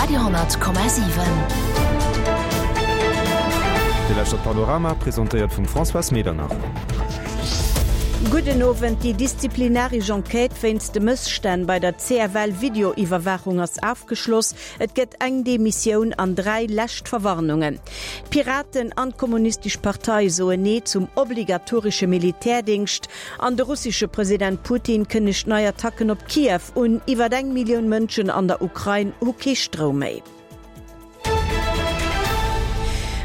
Radio,7. Dir lauschtert Panorama, presentéiert vum Françoise Medernach. Gudden Owend. Déi disziplinaresch Enquête wéinst de Mësstänn bei der CFL-Videoiwwerwaachung ass afgeschloss. Et gëtt eng Demissioun an 3 lescht Verwarnungen. D'Piraten an d'Kommunistesch Partei soen Nee zum obligatoresche Militärdingscht. An de russesche President Putin kënnegt nei Attacken op Kiew un. Iwwer eng Millioun Mënschen an der Ukrain hu kee Stroum méi.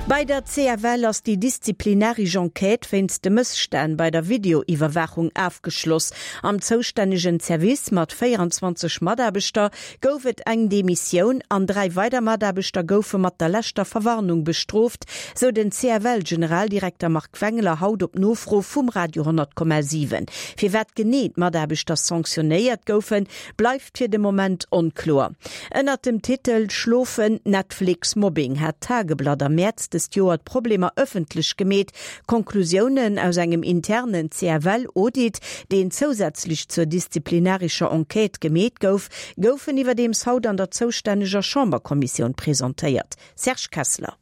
Bei der CFL ass déi disziplinaresch Enquête wéinst de Mësstänn bei der Videoiwwerwaachung afgeschloss. Am zoustännegen Service mat 24 Mataarbechter gouf et eng Demissioun an 3 weider Mataarbechter goufe mat der leschter Verwarnung bestrooft, sou den CFL-Generaldirekter Marc Wengler haut op Nofro vum Radio 10,7. Firwat genee d'Mataarbechter sanctionéiert goufen, bleift fir de Moment onkloer. Ënnert dem Titel Schlofen, Netflix, Mobbing hat d'Tageblatt am Mäerz dëst Joer d'Problemer ëffentlech gemeet. Konklusiounen aus engem internen CFL-Audit, deen zousätzlech zur disziplinarescher Enquête gemeet gouf, goufen iwwerdeems haut an der zoustänneger Chamberkommissioun presentéiert. Serge Kessler.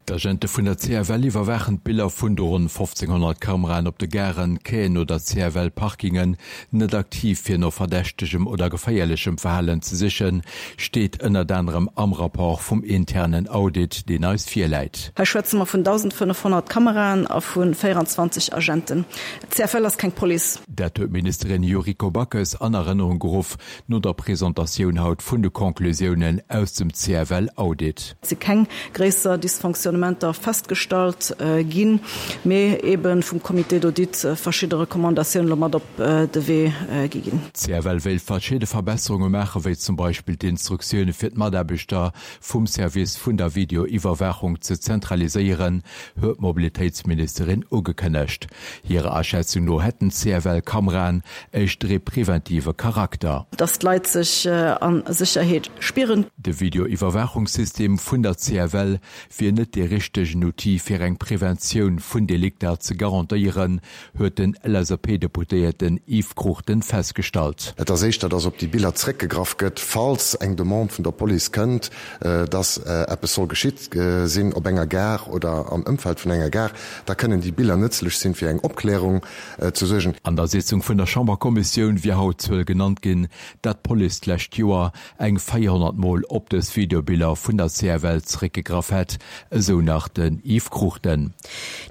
D'Agente vun der CFL iwwerwaachen d'Biller vun de ronn 1.500 Kameraen op de Garen, Quaien oder CFL-Parkingen net aktiv fir no verdächtegem oder geféierlechem Verhalen ze sichen, steet ënnert anerem am Rapport vum internen Audit, deen eis virläit. Hei schwätze mer vun 1.500 Kameraen a vu 24 Agenten. D'CFL ass keng Police. Dat huet d'Ministerin Yuriko Backes an Erënnerung geruff no der Presentatioun haut vun de Conclusiounen aus dem CFL-Audit. Et si keng gréisser Dysfonctionnementer festgestallt ginn, mee eebe vum Comité d'audit verschidde Recommandatiounen elo mat op de Wee gi ginn. D'CFL wéilt verschidde Verbesserunge maachen, wéi zum Beispill d'Instruktioune fir d'Mataarbechter vum Service vun der Videoiwwerwaachung ze zentraliséieren, huet d'Mobilitéitsministerin ugekënnegt. Hirer Aschätzung no hätten d'CFL-Kameraen éischter ee preventive Charakter. Dass d'Leit sech a Sécherheet spieren. De Videoiwwerwaachungssystem vun der CFL wier net dee richtegen Outil fir eng Preventioun vun Delikter ze garantéieren, huet den LSAP-Deputéierten Yves Cruchten festgestallt. Et ass éischter, dass op déi Biller zréckgegraff gëtt, falls eng Demande vun der Police kënnt, dass eppes soll geschitt sinn op enger Gare oder am Ëmfeld vun enger Gare. Da kënnen déi Biller nëtzlech sinn, fir eng Opklärung ze suergen. An der Sitzung vun der Chamberkommissioun wier haut d'Zuel genannt ginn, dat d'Police d'lescht Joer eng 400 Mol op dës Videobiller vun der CFL zeréckgegraff hätt, esou nach den Yves Cruchten.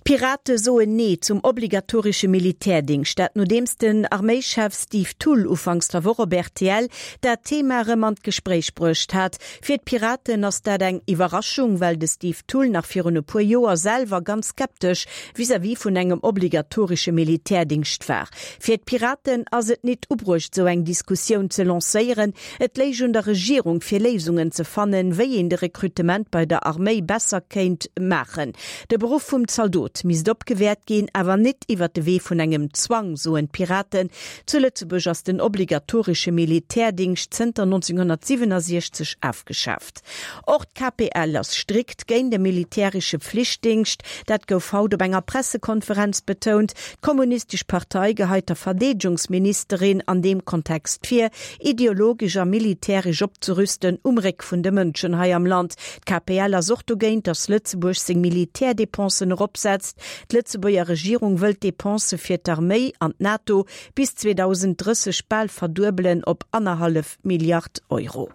D'Pirate soen Nee zum obligatoresche Militärdingscht. Dat nodeems den Arméischef Steve Thull ufanks der Woch op rtl dat Thema erëm an d'Gespréich bruecht hat. Fir d'Piraten ass dat eng Iwwerraschung, well de Steve Thull nach virun e puer Joer selwer ganz skeptesch vis-à-vis vun engem obligatoresche Militärdingscht war. Fir d'Piraten ass et nit ubruecht sou eng Diskussioun ze lancéieren. Et léich un der Regierung fir Léisungen ze fannen, wéi een de Rekrutement bei der Arméi besser kéint maachen. De Beruff vum Zaldot misst opgewäert ginn, awer nit iwwer de Wee vun engem Zwang, soen d'Piraten. Zu Lëtzebuerg ass den obligatoresche Militärdingscht zënter 1967 afgeschaaft. Och d'KPL ass strikt géint e militäresche Pflichtdingscht. Dat gouf haut op enger Pressekonferenz betount. D'Kommunistesch Partei geheit der Verdeedegungsministerin an deem Kontext vir, ideologesch a militäresch opzerüsten um Réck vun de Mënschen hei am Land. D'KPL ass och dogéint, datt Lëtzebuerg seng Militärdépensen eropsetzt. D'Lëtzebuerger Regierung wëll d'Depensë fir d'Arméi an d'NATO bis 2030 bal verduebelen op annerhallef Milliard Euro.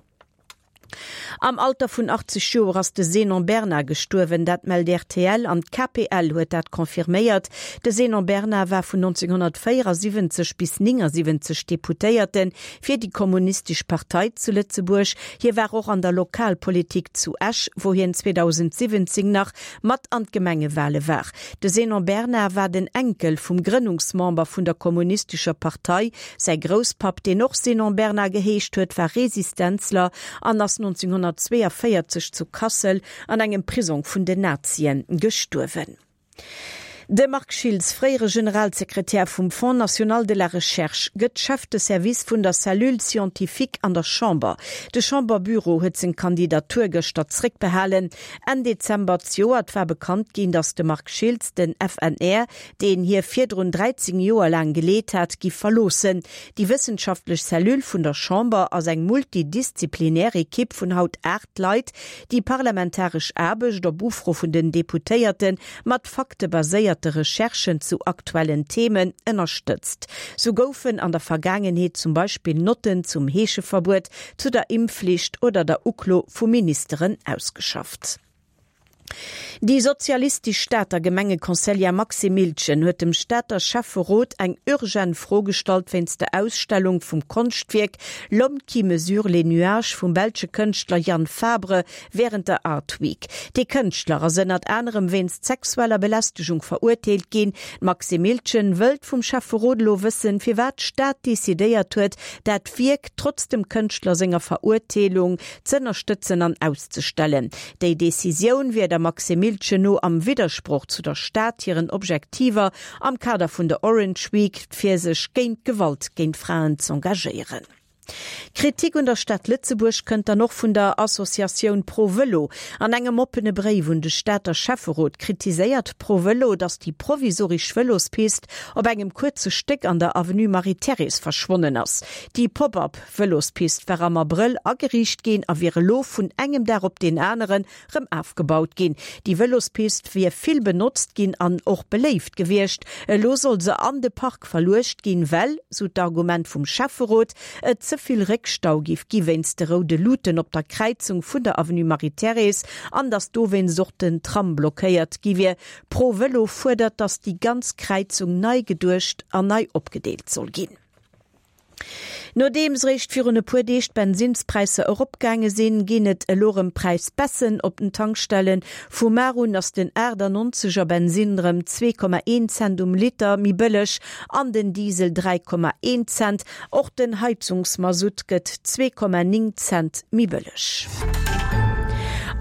Am Alter vun 80 Joer ass de Zénon Bernard gestuerwen, dat mellt rtl an d'KPL huet dat confirméiert. De Zénon Bernard war vun 1974 bis 79 Deputéierte fir déi Kommunistesch Partei zu Lëtzebuerg. Hie war och an der Lokalpolitik zu Esch, wou hien 2017 nach mat an d'Gemengewale war. De Zénon Bernard war den Enkel vum Grënnungsmember vun der Kommunistescher Partei. Säi Grousspapp, deen och Zénon Bernard geheescht huet, war Resistenzler an ass 1942 zu Kassel an engem Prisong vun den Nazien gestuerwen. De Marc Schiltz, fréiere Generalsekretär vum Fonds national de la recherche, gëtt Chef de service vun der Cellule scientifique an der Chamber. De Chamberbüro huet seng Kandidatur gëschter zréckbehalen. Enn Dezember zejoert war bekannt ginn, datt de Marc Schiltz den FNR, deen hie virdrun 13 Joer laang geleet hat, giff verloossen. Déi wëssenschaftlech Cellule vun der Chamber ass eng multidisziplinär Ekipp vun haut 8 Leit, déi parlamentaresch Aarbecht op Ufro vun den Deputéierte mat faktebaséierte Recherchen zu aktuellen Themen ënnerstëtzt. Sou goufen an der Vergaangenheet zum Beispill Notten zum Heescheverbuet, zu der Impfflicht oder der Uklo vu Ministeren ausgeschafft. Déi sozialistesch Stater Gemengeconseillère Maxime Miltgen huet dem Stater Schäfferot eng urgent Fro gestallt wéinst der Ausstellung vum Konschtwierk L'homme qui mesure les nuages vum belsche Kënschtler Jan Fabre wärend der Art Week. Dee Kënschtler ass ënnert anerem wéinst sexueller Belästegung verurteelt ginn. D'Maxime Miltgen wëllt vum Schäfferot elo wëssen, firwat d'Stad decidéiert huet, dat Wierk trotz dem Kënschtler senger Verurteelung z'ënnerstëtzen an auszestellen. Déi Decisioun wier der Maxime Miltgen no am Widdersproch zu der Stad hiren Objektiver am Kader vun der Orange Week, fir sech géint Gewalt géint Fraen z'engagéieren. Kritik un der Stad Lëtzebuerg kënnt dann och vun der Associatioun Pro Vëlo. An engem oppene Bréif un de Stater Schäfferot kritiséiert Pro Vëlo, datt déi provisorisch Vëlospist op engem kuerze Stéck an der Avenue Marie-Thérèse verschwonnen ass. Déi Pop-up Vëlospist war am Abrëll ageriicht ginn a wier elo vun engem Dag op deen aneren rëm afgebaut ginn. Déi Vëlospist wier vill benotzt ginn an och beléift gewiescht. Elo soll se an de Park verluecht ginn, well, sou d'Argument vum Schäfferot, et ze vill Réckstau géif gi wéinst de roude Luuten op der Kräizung vun der Avenue Marie-Thérèse an datt dowéinst och den Tram blockéiert gi wier. Pro Vëlo fuerdert, datt déi ganz Kräizung nei geduecht an nei opgedeelt soll ginn. Nodeems réischt virun e puer Deeg d'Bensinnspräisser eropgaange sinn, ginn et elo rëm Präisbaissen op den Tankstellen. Vu mar un ass den 98 er Bensinn rëm 2,1 Cent um Liter méi bëlleg an den Diesel 3,1 Cent. Och den Heizungsmasutt gëtt 2,9 Cent méi bëlleg.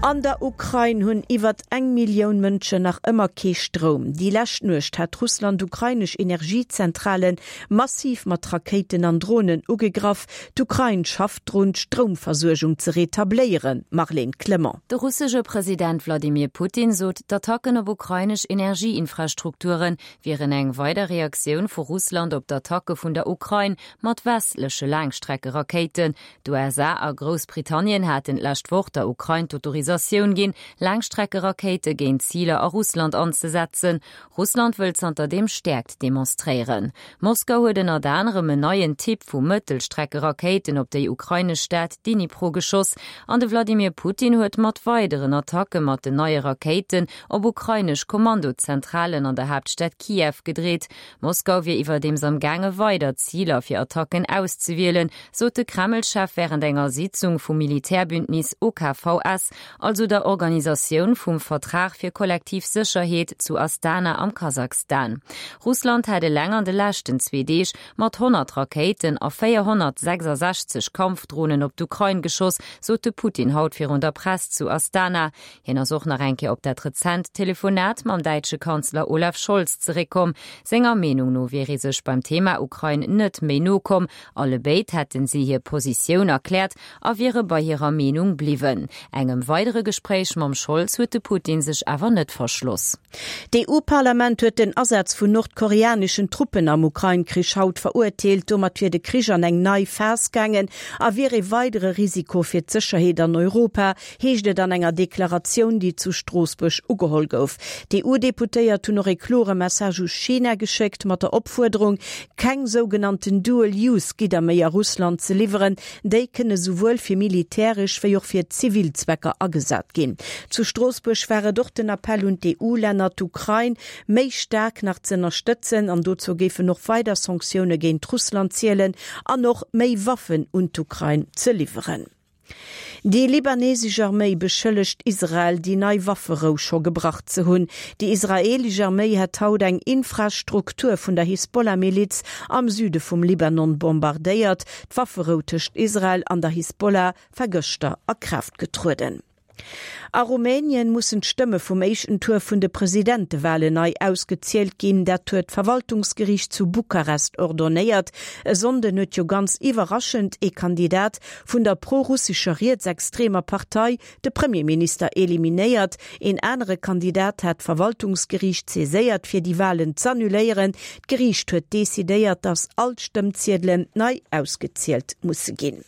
An der Ukrain hunn iwwert eng Millioun Mënschen nach ëmmer kee Stroum. Déi lescht Nuecht hat Russland ukrainesch Energiezentralen Massiv mat Rakéiten an Dronen ugegraff. D'Ukrain schafft drun, d'Stroumversuergung ze retabléieren. Marlène Clement. De russesche President Wladimir Putin sot, d'Attacken op ukrainesch Energieinfrastrukture wieren eng weider Reaktioun vu Russland op d'Attacke vun der Ukrain mat westleche Laangstreckerakéiten. D'USA a Groussbritannien haten d'lescht Woch der Ukrain d'Autorisatioun ginn, Laangstreckerakéite géint Ziler a Russland anzesetzen. Russland wëll zanterdeem Stäerkt demonstréieren. Moskau huet ënnert anerem en neien Typ vu Mëttelstreckerakéiten op déi ukrainesch Stad Dnipro geschoss an de Wladimir Putin huet mat weideren Attacke mat den neie Rakéiten op ukrainesch Kommandozentralen an der Haaptstad Kiew gedreet. Moskau wier iwwerdeems am gaange weider Ziler fir Attacken auszewielen, sot de Kreml-Chef wärend enger Sitzung vum Militärbündnis OKVS also der Organisatioun vum Vertrag fir kollektiv Sécherheet zu Astana am Kasachstan. Russland hätt eleng an de leschten zwee Deeg mat 100 Rakéiten a 466 Kampfdronen op d'Ukrain geschoss, sot de Putin haut virun der Press zu Astana. Hien ass och nach eng Kéier op dat rezent Telefonat mam däitsche Kanzler Olaf Scholz zeréckkomm. Senger Meenung no wier ee sech beim Thema Ukrain net méi no komm. Allebéid hätten si hir Positioun erkläert a wiere bei hirer Meenung bliwwen. Engem weidere Gespréich mam Scholz huet de Putin sech awer net verschloss. D'EU-Parlament huet den Asaz vun nordkoreaneschen Truppen am Ukrain-Krich haut verurteelt. Domat wier de Krich an eng nei Phas gaangen a wier ee weidere Risiko fir d'Sécherheet an Europa, heescht et an enger Deklaratioun, déi zu Stroossbuerg ugeholl gouf. D'EU-Deputéiert hunn och ee klore Message u China geschéckt, mat der Opfuerderung, keng sougenannten Dual-Use-Gidder méi a Russland ze liwweren. Déi kënne souwuel fir militäresch wéi och fir zivil Zwecker agesat ginn. Zu Stroossbuerg war et och den Appell un d'EU-Länner, d'Ukrain méi staark nach z'ënnerstëtzen. An dozou géifen och weider Sanktioune géint Russland zielen an och méi Waffen un d'Ukrain ze liwweren. Déi libanesesch Arméi beschëllegt Israel, déi nei Wafferou scho gebrach ze hunn. Déi israeelesch Arméi hätt haut eng Infrastruktur vun der Hisbollah-Miliz am Süde vum Libanon bombardéiert. D'Wafferou tëscht Israel an der Hisbollah war gëschter a Kraaft getrueden. A Rumänien mussen d'Stëmme vum éischten Tour vun de Presidentewalen nei ausgezielt ginn. Dat huet d'Verwaltungsgeriicht zu Bukarest ordonnéiert. E Sonnden huet jo ganz iwwerraschend ee Kandidat vun der pro-russescher rietsextremer Partei de Premierminister eliminéiert. Een anere Kandidat hat d'Verwaltungsgeriicht saiséiert fir déi Walen z'annuléieren. D'Geriicht huet decidéiert, datt all d'Stëmmziedelen nei ausgezielt musse ginn.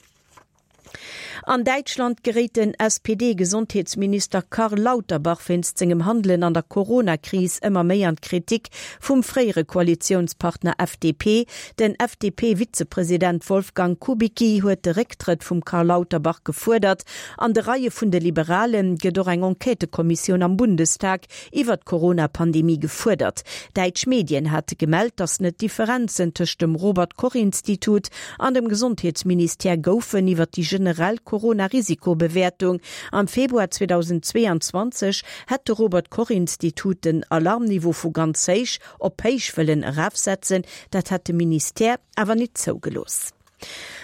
An Däitschland geréit den SPD-Gesondheetsminister Karl Lauterbach wéinst sengem Handelen an der Corona-Kris ëmmer méi an d'Kritik vum fréiere Koalitiounspartner FDP. Den FDP-Vizepresident Wolfgang Kubicki huet de Récktrëtt vum Karl Lauterbach gefuerdert. An de Reie vun de Liberale gëtt och eng Enquêtëkommissioun am Bundestag iwwer d'Corona-Pandemie gefuerdert. Däitsch Medien hate gemellt, datt net Differenzen tëscht dem Robert-Koch-Institut an dem Gesondheetsministère goufen iwwer déi generell Corona-Risiko-Bewäertung. Am Februar 2022 hätt de Robert-Koch-Institut den Alarmniveau vu ganz héich op héich wëllen erafsetzen. Dat hätt de Ministère awer nit zougelooss.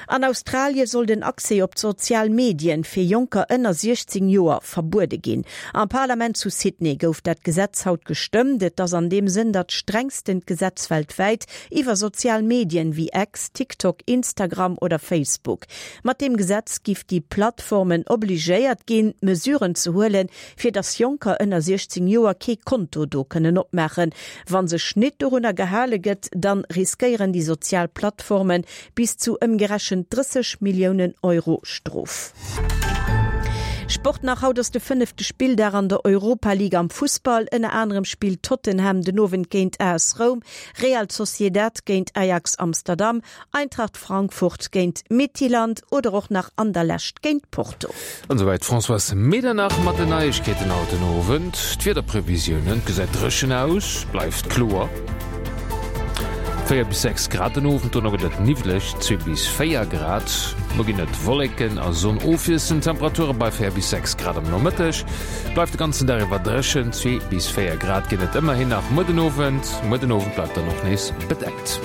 An Australie soll den Accès op d'sozial Medien fir Jonker ënner 16 Joer verbuede ginn. Am Parlament zu Sydney gouf dat Gesetz haut gestëmmt. Et ass an deem Sënn dat strengstent Gesetz weltwäit iwwer sozial Medien wéi X, TikTok, Instagram oder Facebook. Mat deem Gesetz giff déi Plattformen obligéiert ginn, Mesuren ze huelen, fir dass Jonker ënner 16 Joer kee Konto do kënnen opmaachen. Wa sech nit dorunner gehale gëtt, dann riskéieren déi sozial Plattformen bis zu ëmgerechent 30 Milliounen Euro Strof. Sport nach, Haut ass de fënnefte Spilldag an der Europa League am Fussball. Ënner anerem spillt Tottenham den Owend géint AS Roum, Real Sociedad géint Ajax Amsterdam, Eintracht Frankfurt géint Midtjylland oder och nach Anderlecht géint Porto. An esouwäit d'Françoise Medernach mat den Neiegkeeten haut den Owend. D'Wiederprevisiounen, Et gesäit dréchen aus, bleift kloer, 4 bis 6 Grad den Owend, dono gëtt et niwwleg, 2 bis 4 Grad. Muer ginn et Wolleken a Sonn ofwiesselnd, Temperature bei 4 bis 6 Grad am Nomëtteg. Bleift de ganzen Dag iwwer dréchen, 2 bis 4 Grad ginn et ëmmerhin nach muer den Owend. Muer den Owend bleift dann och nees bedeckt.